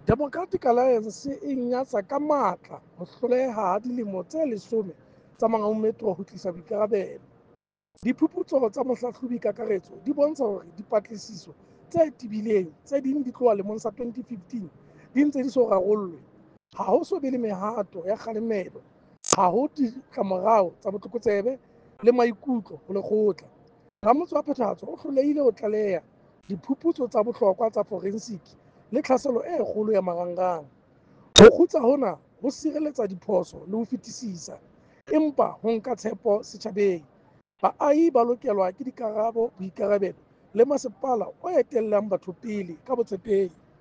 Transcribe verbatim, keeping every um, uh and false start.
Democratic Alliance e nyatsa ka matla ho hloleha ha dilemo tse leshome tsa Mangaung Metro ho tlisa boikarabelo. Diphuputso tsa Mohlahlobi Kakaretso di bontsha hore dipatlisiso tse tebileng, tse ding di tloha lemong sa twenty fifteen, di ntse di so rarollwe. Ha ho so be le mehato ya kgalemelo, ha ho ditlamorao tsa botlokotsebe le maikutlo ho lekgotla. Ramotse wa phethahatso o hlolehile ho tlaleha diphuputso tsa bohlokwa tsa forensiki le tlhaselo e kgolo ya marangrang. Ho kgutsa hona ho sireletsa diphoso le ho fetisisa, empa ho nka tshepo setjhabeng. Baahi ba lokelwa ke dikarabo, boikarabelo le masepala o etellang batho pele ka botshepehi.